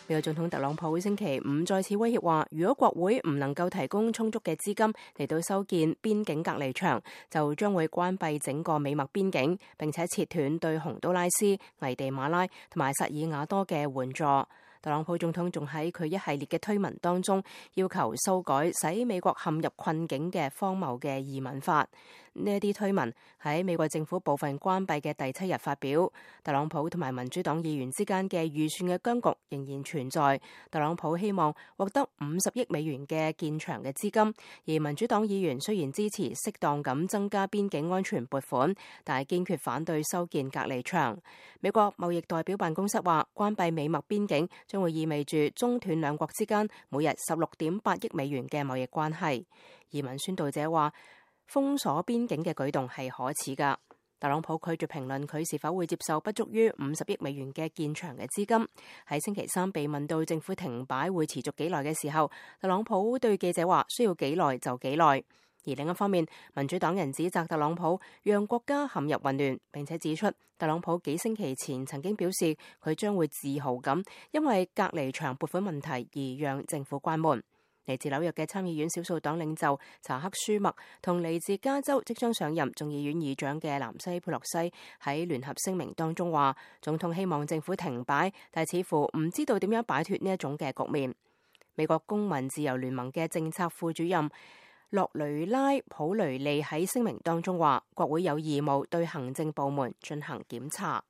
美國總統特朗普星期五再次威脅話，如果國會唔能夠提供充足嘅資金嚟到修建邊境隔離牆，就將會關閉整個美墨邊境，並且切斷對洪都拉斯、危地馬拉同埋薩爾瓦多嘅援助。特朗普總統仲喺佢一系列嘅推文當中，要求修改使美國陷入困境嘅荒謬嘅移民法。呢一啲推文喺美國政府部分關閉嘅第7日發表。特朗普同埋民主黨議員之間嘅預算嘅僵局仍然存在。特朗普希望獲得50億美元嘅建牆嘅資金，而民主黨議員雖然支持適當咁增加邊境安全撥款，但係堅決反對修建隔離牆。美國貿易代表辦公室話，關閉美墨邊境將會意味住中斷兩國之間每日16.8億美元嘅貿易關係。移民宣導者話，封鎖邊境嘅舉動係可恥㗎。特朗普拒絕評論佢是否會接受不足於50億美元嘅建牆嘅資金。喺星期三被問到政府停擺會持續幾耐嘅時候，特朗普對記者話，需要幾耐就幾耐。而另一方面，民主黨人指責特朗普讓國家陷入混亂，並且指出特朗普幾星期前曾經表示佢將會自豪咁因為隔離牆撥款問題而讓政府關門。嚟自紐約嘅參議院少數黨領袖查克舒默同嚟自加州即將上任眾議院議長嘅南希佩洛西喺聯合聲明當中話，總統希望政府停擺，但似乎唔知道點樣擺脫呢一種嘅局面。美國公民自由聯盟嘅政策副主任洛雷拉普雷利喺聲明當中話，國會有義務對行政部門進行檢查。